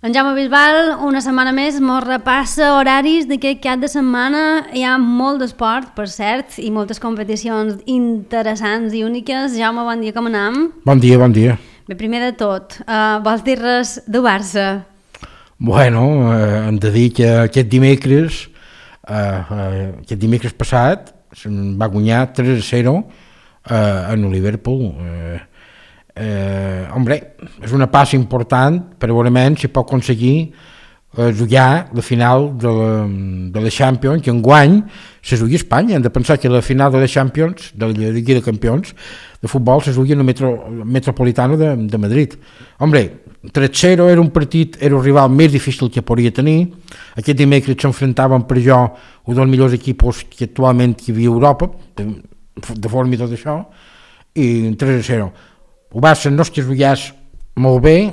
En Jaume Bisbal, una setmana més, mos repassa horaris d'aquest cap de setmana. Hi ha molt d'esport, per cert, i moltes competicions interessants i úniques. Jaume, bon dia, com anem? Bon dia, bon dia. Bé, primer de tot, vols dir res de Barça? Bueno, hem de dir que aquest dimecres passat va guanyar 3-0 en el Liverpool. Hombre, és una passa important per veurement si pot aconseguir jugar la final de la Champions, que enguany se jugui a Espanya. Hem de pensar que la final de la Champions, de la Lliga de Campions de futbol, se jugui en el Metropolitano de Madrid. Hombre, 3-0 era un partit, era el rival més difícil que podria tenir. Aquest dimecres s'enfrontaven per jo un dels millors equips que actualment hi havia a Europa, de forma i tot això, i 3-0. El Barça no és que es jugués molt bé,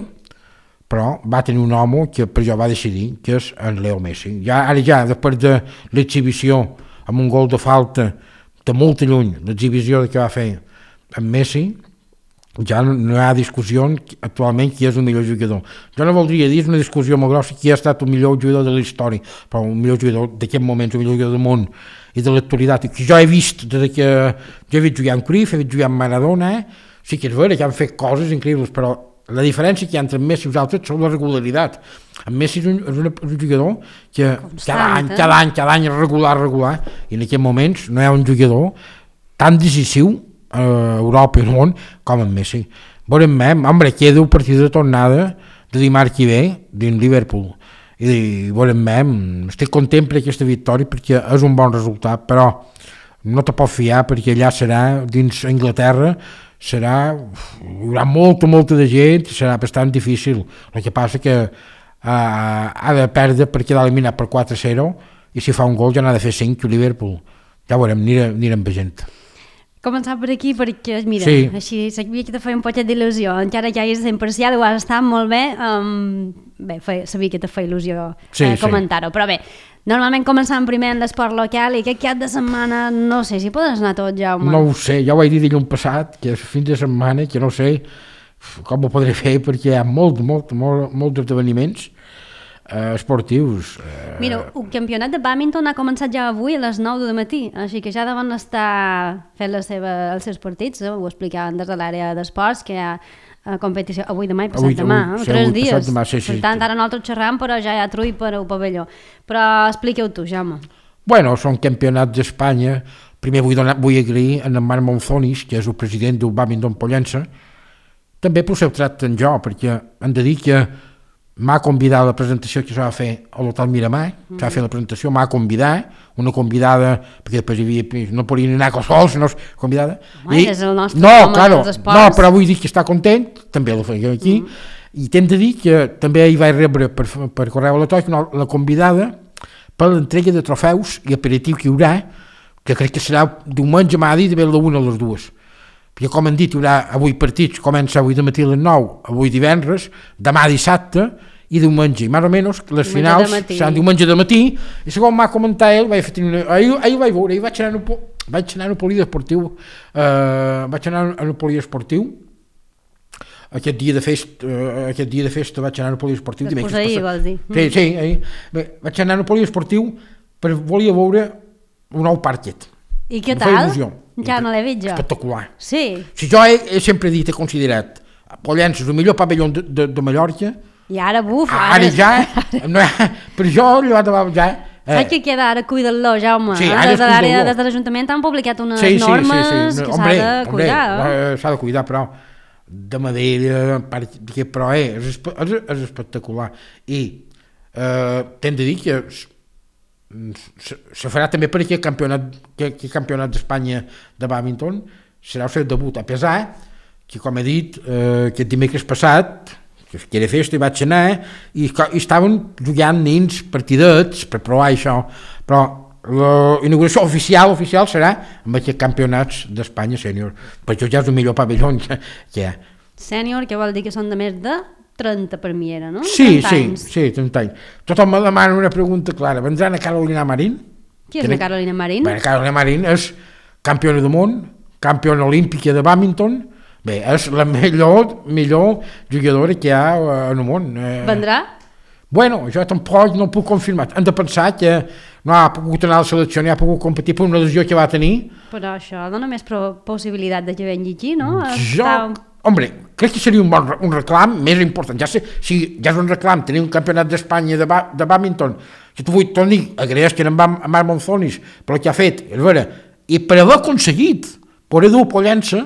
però va tenir un home que per jo va decidir, que és en Leo Messi. Ara ja, després de l'exhibició amb un gol de falta de molt lluny, l'exhibició que va fer en Messi, ja no hi ha discussió actualment qui és el millor jugador. Jo no voldria dir, és una discussió molt grossa, qui ha estat el millor jugador de la història, però el millor jugador d'aquest moment, el millor jugador del món i de l'actualitat, que jo he vist des que jo he vist jugar amb Cruyff, he vist jugar amb Maradona, sí que és vera que han fet coses increïbles, però la diferència que hi ha entre Messi i els altres són la regularitat. En Messi és un jugador que cada any és regular, i en aquests moments no hi ha un jugador tan decisiu a Europa i al món com en Messi. Veurem, hombre, queda un partit de tornada de dimarts que ve dins Liverpool, i veurem, estic content per aquesta victòria perquè és un bon resultat, però no te pots fiar perquè allà serà dins Anglaterra, hi haurà molta de gent, serà bastant difícil. El que passa que ha de perdre per quedar eliminat per 4-0, i si fa un gol ja n'ha de fer 5 a Liverpool. Ja veurem, anirem veient. Començar per aquí perquè, mira, sí. Així sabia que te feia un poquet d'il·lusió, encara que hagis imparcial, ho has estat molt bé, sabia que te feia il·lusió comentar-ho, però bé, normalment començant primer en l'esport local i aquest cap de setmana, no sé si podes anar tot, Jaume. No ho sé, ja ho vaig dir dilluns passat, que és fin de setmana, que no sé com ho podré fer perquè hi ha molts esdeveniments esportius. Mira, el campionat de bàdminton ha començat ja avui a les 9 del matí, així que ja deuen estar fent els seus partits, ho explicaven des de l'àrea d'esports, que hi ha competició avui, demà i passat demà, 3 dies. Per tant, ara nosaltres xerram, però ja hi ha trull per al pavelló. Però expliqueu tu, Jaume. Bueno, són campionats d'Espanya. Primer vull agrair a en Marc Monzonis, que és el president del bàdminton Pollença, també per ser tracte en jo, perquè hem de dir que m'ha convidat a la presentació que s'ha de fer a l'Hotel Miramar, s'ha de fer la presentació, m'ha convidat, una convidada, perquè després no podien anar sols, no és convidada. És el nostre home dels esports. No, però vull dir que està content, també la feia aquí, i t'hem de dir que també hi vaig rebre per correu electrònic la convidada per l'entrega de trofeus i aperitiu que hi haurà, que crec que serà diumenge, m'ha dit, de la 1 a les 2. Perquè com hem dit, hi haurà avui partits, comença avui de matí a les 9, avui divendres, demà dissabte i diumenge, i més o menys les finals seran diumenge de matí, i segons m'ha comentat ell, ahir vaig veure, vaig anar al poliesportiu, aquest dia de festa vaig anar al poliesportiu. Després ahir, vols dir? Sí, ahir. Vaig anar al poliesportiu per volia veure un nou parquet. I què tal? Ja no l'he vist jo. Espectacular. Sí. Si jo he sempre dit, he considerat Pollença el millor pavelló de Mallorca, i ara, ara ja, per jo, ja... Saps que queda ara cuidar-lo, Jaume? Sí, des de l'Ajuntament han publicat unes normes que s'ha de cuidar. S'ha de cuidar, però de madera, però és espectacular. I t'hem de dir que se farà també per aquest campionat d'Espanya de bàdminton, serà el seu debut, a pesar que, com he dit, aquest dimecres passat, que era festa, i vaig anar, i estaven jugant nins partidets per provar això, però la inauguració oficial serà amb aquests campionats d'Espanya sènior, perquè ja és el millor pavelló que hi ha. Sènior, que vol dir que són de més de 30 per mi era, no? Sí, 30 anys. Tothom me demana una pregunta clara, vendran a Carolina Marín? Qui és la Carolina Marín? Carolina Marín és campiona del món, campiona olímpica de bàdminton, Bé, és la millor jugadora que hi ha en el món. Vendrà? Bueno, jo tampoc no ho puc confirmar. Hem de pensar que no ha pogut anar a la selecció, ni ha pogut competir per una lesió que va tenir. Però això dona més possibilitat de que vengui aquí, no? Hombre, crec que seria un reclam més important. Ja sé, si ja és un reclam tenir un campionat d'Espanya de bàdminton, que tu vull tornar a agraeix que en Marc Monzonis per el que ha fet, és vera, i per haver aconseguit poder dur Pollença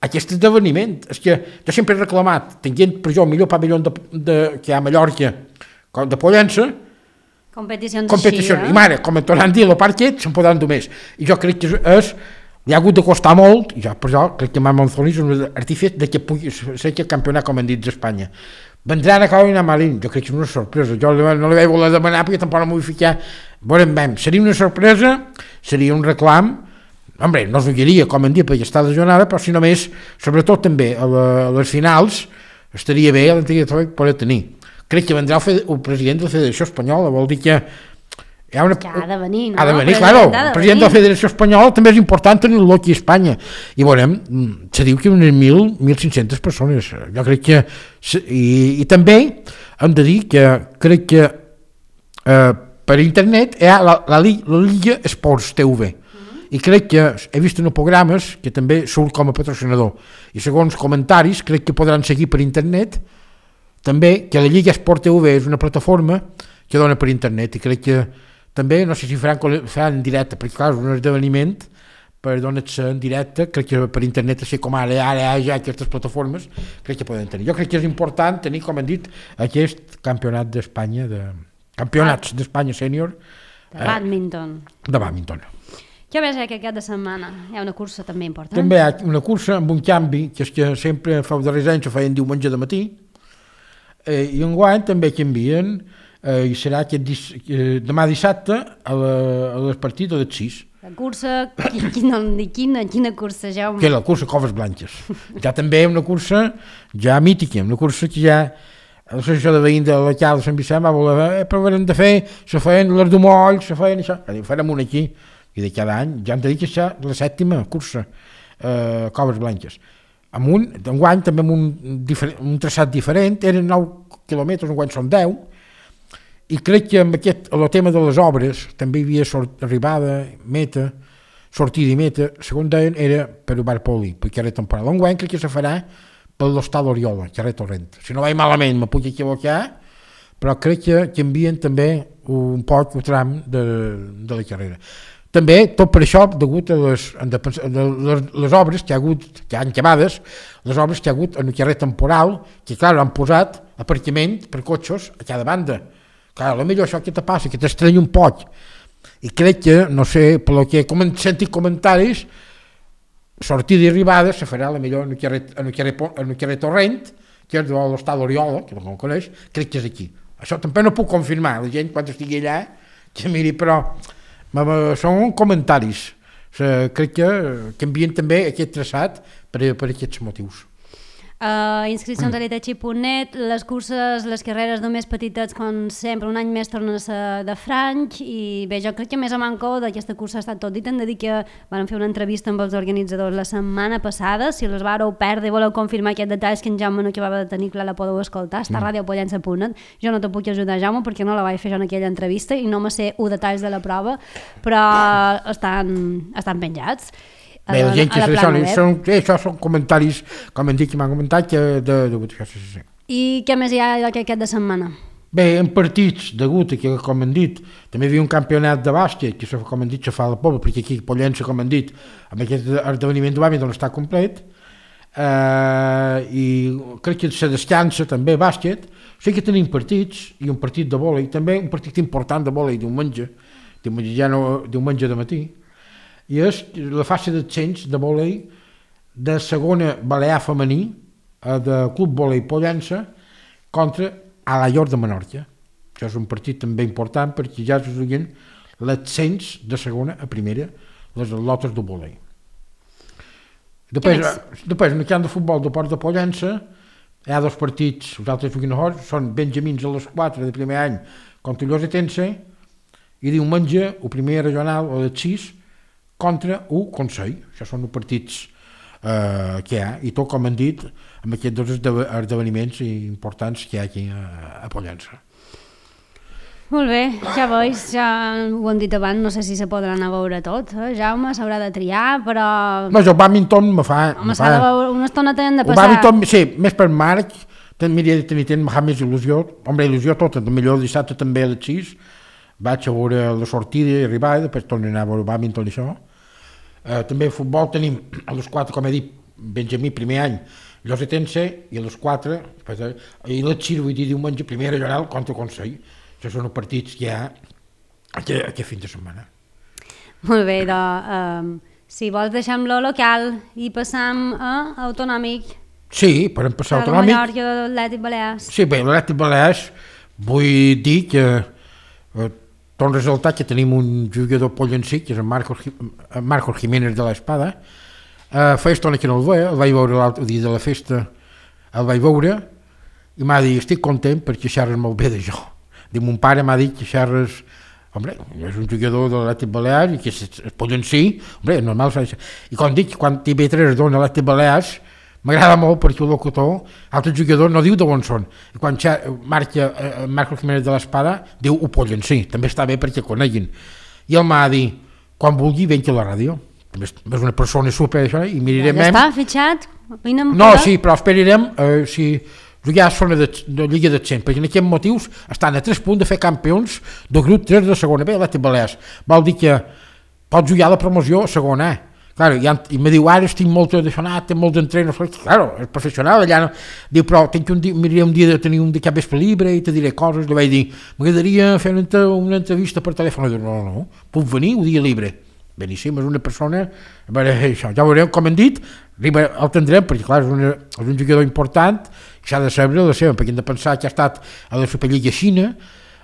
aquest esdeveniment. És que jo sempre he reclamat, tenint per jo el millor pavelló que hi ha a Mallorca de Pollença, competicions així, i mare, com en tornant a dir el parquet, se'n podran dur més. I jo crec que li ha hagut de costar molt, i jo per això crec que Marc Monzonis és un artífice de que pugui ser que campionat, com han dit, d'Espanya. Vendran a Carolina Marín, jo crec que és una sorpresa, jo no li vaig voler demanar perquè tampoc no m'ho vull ficar, veurem, seria una sorpresa, seria un reclam, hombre, no es voldria, com han dit, perquè està lesionada, però si només, sobretot també a les finals, estaria bé l'antiga poder tenir. Crec que vendrà el president de la Federació Espanyola, vol dir que que ha de venir, no? Ha de venir, claro, el president de la Federació Espanyola també és important tenir-lo aquí a Espanya. I veurem, se diu que unes 1.500 persones, jo crec que... I també hem de dir que crec que per internet hi ha la Liga Esports TV, i crec que he vist en programes que també surt com a patrocinador, i segons comentaris crec que podran seguir per internet també, que la Lliga Esport TV és una plataforma que dona per internet, i crec que també, no sé si faran en directe, perquè clar, és un esdeveniment per donar-se en directe, crec que per internet, així com ara hi ha ja aquestes plataformes, crec que poden tenir. Jo crec que és important tenir, com hem dit, aquest campionat d'Espanya, campionats d'Espanya sènior de bàdminton. De bàdminton. Què més hi ha aquest cap de setmana? Hi ha una cursa també important. També hi ha una cursa amb un canvi, que és que sempre fa darrers anys ho feien diumenge de matí, i enguany també canvien, i serà demà dissabte a les partides de les 6. La cursa, quina cursa, Jaume? Que la cursa Coves Blanques. Ja també una cursa ja mítica, una cursa que ja l'associació de veïns de la Cal de Sant Vicent va voler, però haurem de fer, se feien les d'Umolls, se feien això, farem una aquí, i de cada any, ja hem de dir que és la 7ª cursa Coves Blanques. Enguany també amb un traçat diferent, eren 9 quilòmetres, enguany són 10, i crec que amb el tema de les obres també hi havia arribada, meta, sortida i meta, segons deien, era per el bar Poli, perquè era temporal. Enguany crec que se farà per l'Hostal Oriola, carrer Torrent. Si no vaig malament, me puc equivocar, però crec que canvien també un poc el tram de la carrera. També, tot per això, degut a les obres que hi ha hagut, que han acabades, les obres que hi ha hagut en el carrer temporal, que clar, han posat aparcament per cotxes a cada banda. Clar, potser això que te passa, que t'estranya un poc. I crec que, no sé, pel que he sentit comentaris, sortida i arribada se farà potser en el carrer Torrent, que és de l'Hostal Oriola, que no el coneix, crec que és aquí. Això també no puc confirmar, la gent quan estigui allà, que miri, però són comentaris. Crec que canvien també aquest traçat per aquests motius. Inscripcions a l'Itachi.net, les curses, les carreres només petitets, com sempre, un any més tornen a ser de franc, i bé, jo crec que més a manco d'aquesta cursa ha estat tot dit. Hem de dir que van fer una entrevista amb els organitzadors la setmana passada, si les vareu perdre i voleu confirmar aquests detalls que en Jaume no acabava de tenir clar, la podeu escoltar, està a radiopollença.net. Jo no te puc ajudar, Jaume, perquè no la vaig fer jo en aquella entrevista i no me sé detalls de la prova, però estan penjats. Bé, la gent que això són comentaris, com hem dit, que m'han comentat, I què més hi ha aquest de setmana? Bé, en partits, degut a que, com hem dit, també hi havia un campionat de bàsquet, que com hem dit, se fa a la Pobla, perquè aquí a Pollença, com hem dit, amb aquest esdeveniment de bàsquet està complet, i crec que se descansa també bàsquet. Sé que tenim partits, i un partit de vòlei, també un partit important de vòlei diumenge de matí, i és la fase d'ascens de vòlei de segona balear femení de Club Vòlei Pollença contra Alaior de Menorca. Això és un partit també important perquè ja es juguen l'ascens de segona a primera, les atletes de vòlei. Després, en el camp de futbol de Port de Pollença hi ha 2 partits, els altres juguen a Hors, són benjamins a les 4 de primer any contra Llosetense, i diumenge el primer regional o de 6 contra un Consell. Això són els partits que hi ha, i tot com han dit amb aquests dos esdeveniments importants que hi ha aquí a Pollença. Molt bé, ja veus, ja ho hem dit abans, no sé si se podrà anar a veure tot, Jaume s'haurà de triar, però... No, jo el badminton me fa... Home, s'ha de veure, una estona tenen de passar... El badminton, sí, més per Marc, m'hauria de tenir més il·lusió, il·lusió tota, millor el dissabte també a les 6, vaig a veure la sortida i arribar, i després torno a anar a veure el badminton i això. També a futbol tenim a les 4, com he dit, Benjamí, primer any, Llosetense, i a les 4, i les 6, vull dir, diumenge, primer regional contra Consell. Això són els partits que hi ha aquest fin de setmana. Molt bé, doncs, si vols deixem lo local i passam a autonòmic. Sí, podem passar a autonòmic. A la Mallorca de l'Atlètic Balears. Sí, bé, l'Atlètic Balears, vull dir que tot resultat que tenim un jugador pollencí, que és el Marcos Jiménez de l'Espada. Fa estona que no el veia, el vaig veure l'altre dia de la festa, el vaig veure, i m'ha dit, estic content perquè xerres molt bé de jo. Mon pare m'ha dit que xerres, home, és un jugador de l'Atlètic Balears i que es pollencí, home, és normal. I com dic, quan TV3 dona l'Atlètic Balears, m'agrada molt perquè el locutor, altre jugador no diu d'on són. I quan marca Marcos Jiménez de l'Espada, diu ho pollencí, també està bé perquè coneguin. I ell m'ha dit, quan vulgui, venc a la ràdio. És una persona super, això, i mirarem... Ja està fitxat? No, sí, però esperarem si... jugar a zona de Lliga d'Ascens, perquè en aquests motius estan a 3 punts de fer campions del grup 3 de segona B, l'Atlètic Balears. Vol dir que pot jugar a la promoció a segona A. Claro, i me diu, ara estic molt d'aixonat, tinc molt d'entrenos, claro, és professional, allà no. Diu, però miraria un dia de tenir un de cap vespre libre i te diré coses, li vaig dir, m'agradaria fer una entrevista per telèfon, i diu, no, puc venir un dia libre. Beníssim, és una persona, a veure, això, ja veurem com hem dit, el tindrem, perquè clar, és un jugador important, i s'ha de saber la seva, perquè hem de pensar que ha estat a la Superliga Xina,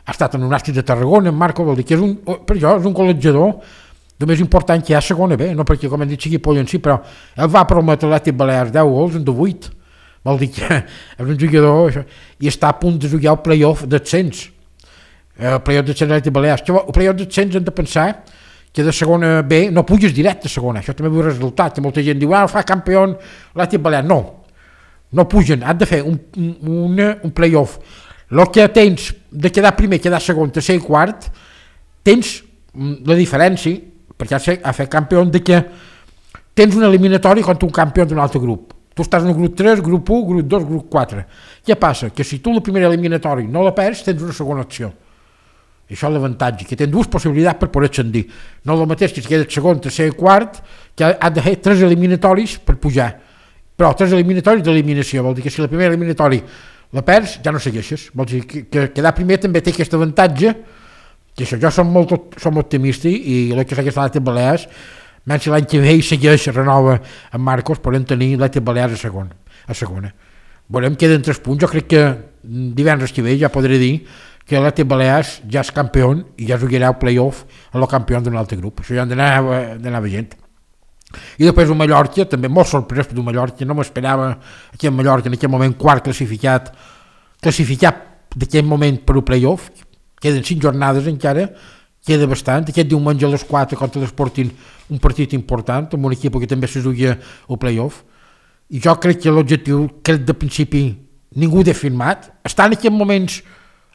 ha estat en un Nàstic de Tarragona, en Marco, vol dir que per això és un col·legiador el més important que hi ha a segona B, no perquè com hem dit sigui pollencí, però ell va prometre l'Atlètic Balears 10 gols en 8, vol dir que és un jugador, això, i està a punt de jugar el play-off d'ascens, el play-off d'ascens de l'Atlètic Balears. El play-off d'ascens hem de pensar que de segona B no puges directe a segona, això també és un resultat, que molta gent diu, fa campió l'Atlètic Balears, no pugen, han de fer un play-off. El que tens de quedar primer, quedar segon, tercer i quart, tens la diferència, perquè a fer campió, de que tens un eliminatori contra un campió d'un altre grup. Tu estàs en el grup 3, grup 1, grup 2, grup 4. Què passa? Que si tu el primer eliminatori no la perds, tens una segona opció. Això és l'avantatge, que tens dues possibilitats per poder ascendir. No el mateix que si quedes segon, tercer i quart, que has de fer 3 eliminatoris per pujar. Però 3 eliminatoris d'eliminació, vol dir que si la primera eliminatori la perds, ja no segueixes. Vol dir que quedar primer també té aquest avantatge, que això, jo som optimista i el que s'ha l'Atlètic Balears, menys si l'any que ve segueix, renova amb Marcos, podem tenir l'Atlètic Balears a segona. Veurem, queden 3 punts, jo crec que divendres que ve ja podré dir que l'Atlètic Balears ja és campió i ja jugarà el play-off a el campió d'un altre grup. Això ja han d'anar veient. I després el Mallorca, també molt sorprès per el Mallorca, no m'esperava que el Mallorca en aquell moment quart classificat d'aquell moment per el play-off, queden 5 jornades encara, queda bastant, aquest diumenge a les 4 contra l'Sporting, un partit important, amb un equip que també se juga el play-off, i jo crec que l'objectiu, crec de principi, ningú ha firmat, està en aquests moments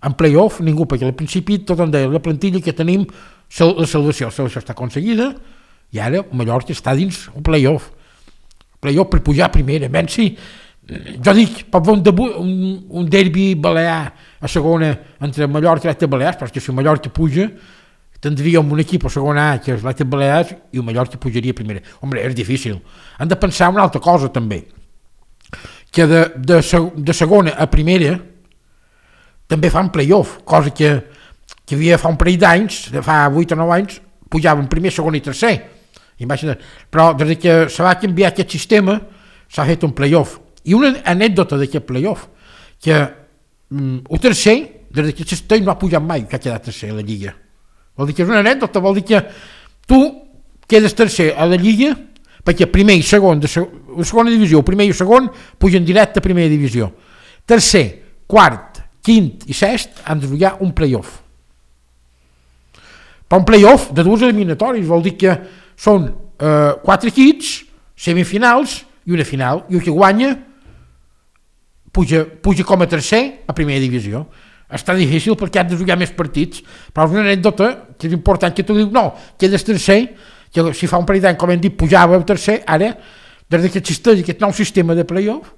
en play-off, ningú, perquè al principi tot en deia, la plantilla que tenim, la salvació està aconseguida, i ara Mallorca està dins un play-off per pujar a primera, menys si jo dic, pot fer un derbi balear a segona entre Mallorca i l'Atlètic Balears, perquè si Mallorca puja tindríem un equip a segona A que és l'Atlètic Balears i el Mallorca pujaria a primera. Home, és difícil. Han de pensar una altra cosa també, que de segona a primera també fan play-off, cosa que havia fa un parell d'anys, fa 8 o 9 anys, pujaven primer, segon i tercer. Imagina't. Però des que se va canviar aquest sistema s'ha fet un play-off. I una anècdota d'aquest play-off, que el tercer, des que Cistell no ha pujat mai, que ha quedat tercer a la Lliga. Vol dir que és una anècdota, vol dir que tu quedes tercer a la Lliga, perquè primer i segon, de segona divisió, primer i segon, pugen directe a primera divisió. Tercer, quart, quint i sest han de jugar un play-off. Però un play-off de 2 eliminatoris, vol dir que són 4 equips, semifinals, i una final, i el que guanya puja com a tercer a primera divisió. Està difícil perquè has de jugar més partits, però és una anècdota que és important, que tu dius, no, quedes tercer, que si fa un parell d'any, com hem dit, pujava a tercer, ara, des que existeix aquest nou sistema de playoff,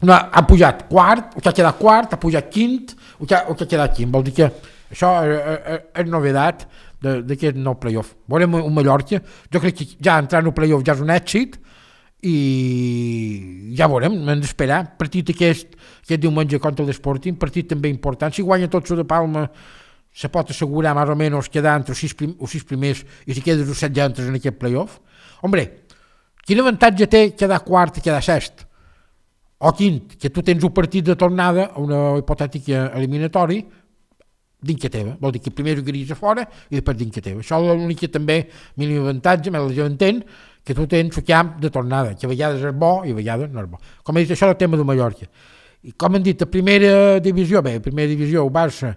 no, ha pujat quart, o que ha quedat quart, ha pujat quint, o que ha quedat quint. Vol dir que això és novedat d'aquest nou playoff. Veurem un Mallorca, jo crec que ja entrar en el playoff ja és un èxit, i ja veurem, hem d'esperar. Partit aquest diumenge contra l'Sporting, partit també important. Si guanya tot de Palma, se pot assegurar més o menys quedar entre els sis primers, i si quedes els 7 ja entres en aquest playoff. Hombre, quin avantatge té quedar quart i quedar sest? O quint, que tu tens un partit de tornada a una hipotètica eliminatori dins que teva. Vol dir que primer jugaries a fora i després dins que teva. Això és l'únic que també mínim avantatge, més la gent entén, que tu tens el camp de tornada, que a vegades és bo i a vegades no és bo. Com he dit, això és el tema de Mallorca. I com hem dit, a primera divisió, el Barça,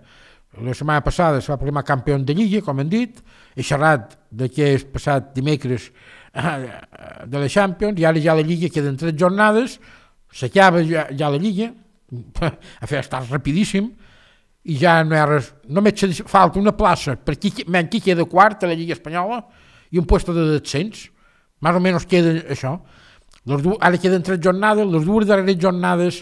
la setmana passada se va proclamar campió de Lliga, com hem dit, he xerrat d'aquest passat dimecres de la Champions, i ara ja la Lliga queden 3 jornades, s'acaba ja la Lliga, a fer estar rapidíssim, i ja no hi ha res, només falta una plaça per qui queda quart a la Lliga Espanyola i un puesto de descens. Més o menys queda això. Ara queden 3 jornades, les 2 darreres jornades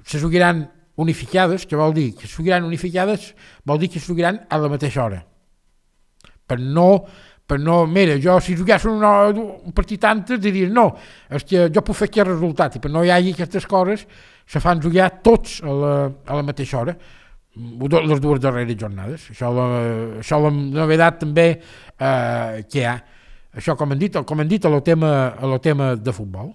se jugaran unificades, que vol dir que se jugaran unificades, vol dir que se jugaran a la mateixa hora. Per no, mira, jo si jugués un partit antes diries no, és que jo puc fer aquest resultat, i per no hi hagi aquestes coses se fan jugar tots a la mateixa hora, les 2 darreres jornades. Això és la novetat també que hi ha. Això, com hem dit, a lo tema de futbol.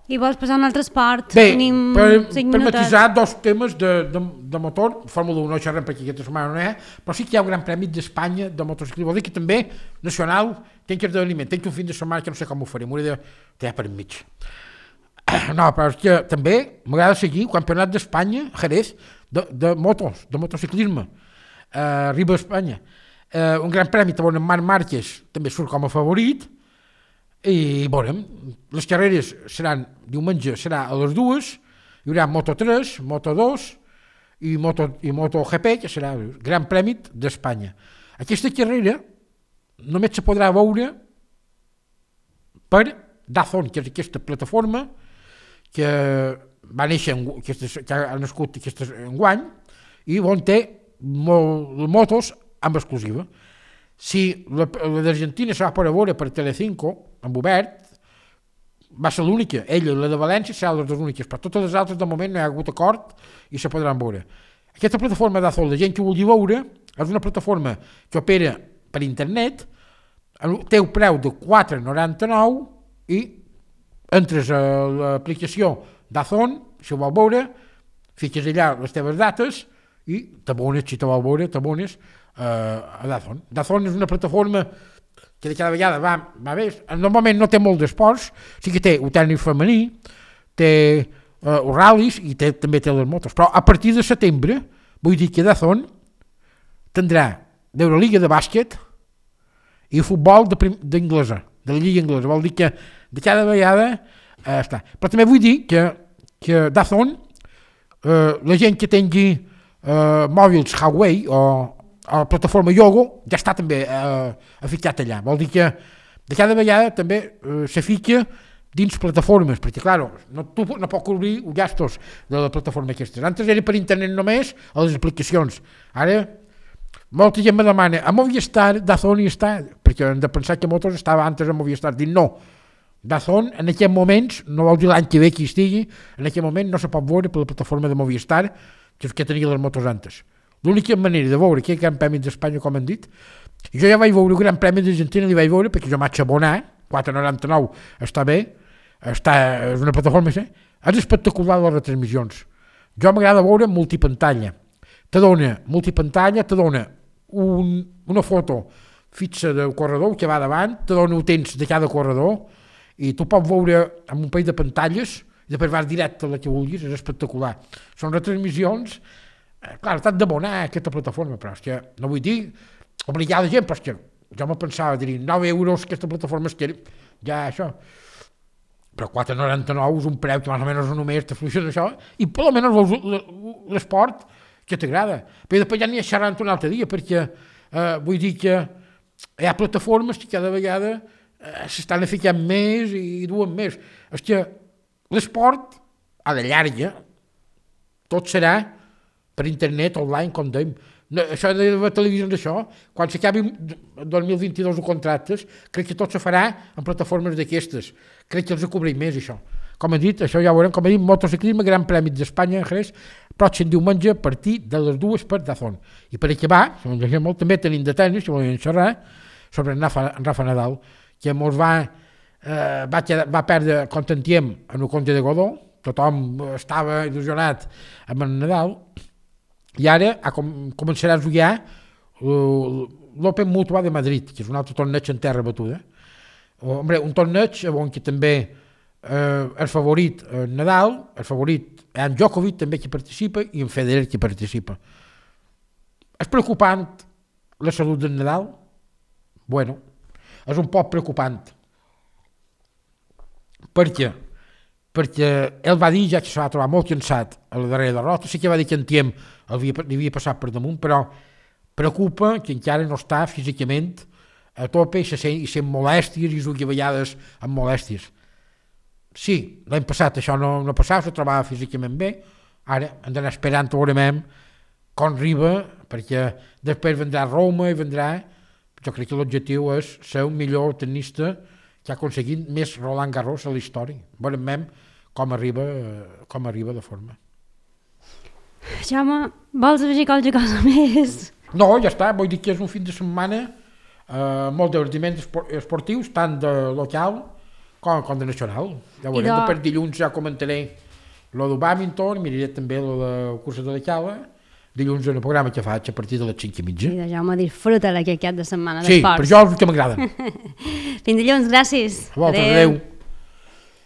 I vols passar a un altre esport? Bé, per matisar 2 temes de motor, Fórmula 1 no xerrem perquè aquesta setmana no hi ha, però sí que hi ha un gran premi d'Espanya de motociclisme. Vol dir que també, nacional, tenc esdeveniment, tenc un fin de setmana que no sé com ho faré, m'hauré de tallar per enmig. No, però és que també m'agrada seguir el Campionat d'Espanya, Jerez, de motociclisme, arriba a Espanya. Un gran premi on en Marc Márquez també surt com a favorit, i veurem, les carreres seran, diumenge serà a les 2, hi haurà Moto3, Moto2 i MotoGP, que serà el gran premi d'Espanya. Aquesta carrera només se podrà veure per DAZN, que és aquesta plataforma que va néixer, que ha nascut enguany, i on té motos amb exclusiva. Si la d'Argentina se va poder veure per Telecinco, amb obert, va ser l'única, ella i la de València seran les 2 úniques, però totes les altres de moment no hi ha hagut acord i se podran veure. Aquesta plataforma d'Azol, la gent que vulgui veure, és una plataforma que opera per internet, té un preu de 4,99 i entres a l'aplicació d'Azon, si ho vol veure, fiques allà les teves dates i t'abones, si te vol veure, t'abones a DAZN. DAZN és una plataforma que de cada vegada va bé. Normalment no té molt d'esports, sí que té el tècnic femení, té els ral·lis i també té les motos, però a partir de setembre, vull dir que DAZN tindrà l'Euroliga de bàsquet i el futbol d'anglesa, de la lliga anglesa. Vol dir que de cada vegada està. Però també vull dir que DAZN, la gent que tingui mòbils Huawei o a la plataforma Yogo ja està també ficat allà. Vol dir que de cada vegada també se fica dins plataformes, perquè clar, tu no pots cobrir els gastos de la plataforma aquestes. Antes era per internet només a les aplicacions. Ara molta gent me demana a Movistar, DAZN hi està, perquè hem de pensar que Motos estava antes a Movistar. Dic no, DAZN en aquests moments, no vol dir l'any que ve que hi estigui, en aquest moment no se pot veure per la plataforma de Movistar, que és que tenia les motos antes. L'única manera de veure aquest Gran Premi d'Espanya, com han dit, jo ja vaig veure el Gran Premi d'Argentina, li vaig veure perquè jo m'haig abonar, 4,99 està bé, és una plataforma, és espectacular les retransmissions. Jo m'agrada veure multipantalla. Te dona multipantalla, te dona una foto fixa del corredor que va davant, te dona el temps de cada corredor, i tu pots veure amb un parell de pantalles, i després vas directe a la que vulguis, és espectacular. Són retransmissions. Clar, t'has d'abonar a aquesta plataforma, però és que no vull dir obligar la gent, però és que jo me pensava, dir 9 euros aquesta plataforma, és que ja això, però 4,99 és un preu que més o menys només te funciona això, i per almenys veus l'esport que t'agrada. Però després ja n'hi ha xerrant un altre dia, perquè vull dir que hi ha plataformes que cada vegada s'estan ficant més i duen més. És que l'esport, a la llarga, tot serà per internet, online, com dèiem. Això de la televisió d'això, quan s'acabi el 2022 els contractes, crec que tot se farà en plataformes d'aquestes. Crec que els cobreix més, això. Com he dit, això ja ho veurem, com he dit, motociclisme, Gran Premi d'Espanya en Jerez, pròxim diumenge a partir de les 2 per DAZN. I per acabar, si m'ho molt, també tenim de tenis, si volem xerrar, sobre en Rafa Nadal, que mos va perdre Contentiem en el Conte de Godó, tothom estava il·lusionat amb en Nadal, i ara començarà a jugar l'Open Mutua de Madrid, que és un altre torneig en terra batuda. Un torneig on que també el favorit Nadal, el favorit en Djokovic també que participa i en Federer que participa. És preocupant la salut del Nadal? Bueno, és un poc preocupant. Per què? Perquè ell va dir ja que se va trobar molt cansat a la darrera derrota, sí que va dir que en Tiem li havia passat per damunt, però preocupa que encara no està físicament a tope i sent molèsties i jugui a vegades amb molèsties. Sí, l'any passat això no passava, se trobava físicament bé, ara hem d'anar esperant veurem com arriba, perquè després vendrà Roma i vendrà, jo crec que l'objectiu és ser un millor tenista que ha aconseguit més Roland Garros a la història. Veurem com arriba de forma. Jaume, vols afegir qualque cosa més? No, ja està, vull dir que és un fin de setmana molt divertiments esportius, tant de local com de nacional. Ja veurem, per dilluns ja comentaré lo del bàdminton, miraré també lo de cursa de la cala, dilluns en el programa que faig a partir de les 5:30. I de Jaume, disfruta aquest cap de setmana d'esports. Sí, per jo és el que m'agrada. Fins dilluns, gràcies. A vosaltres, adeu.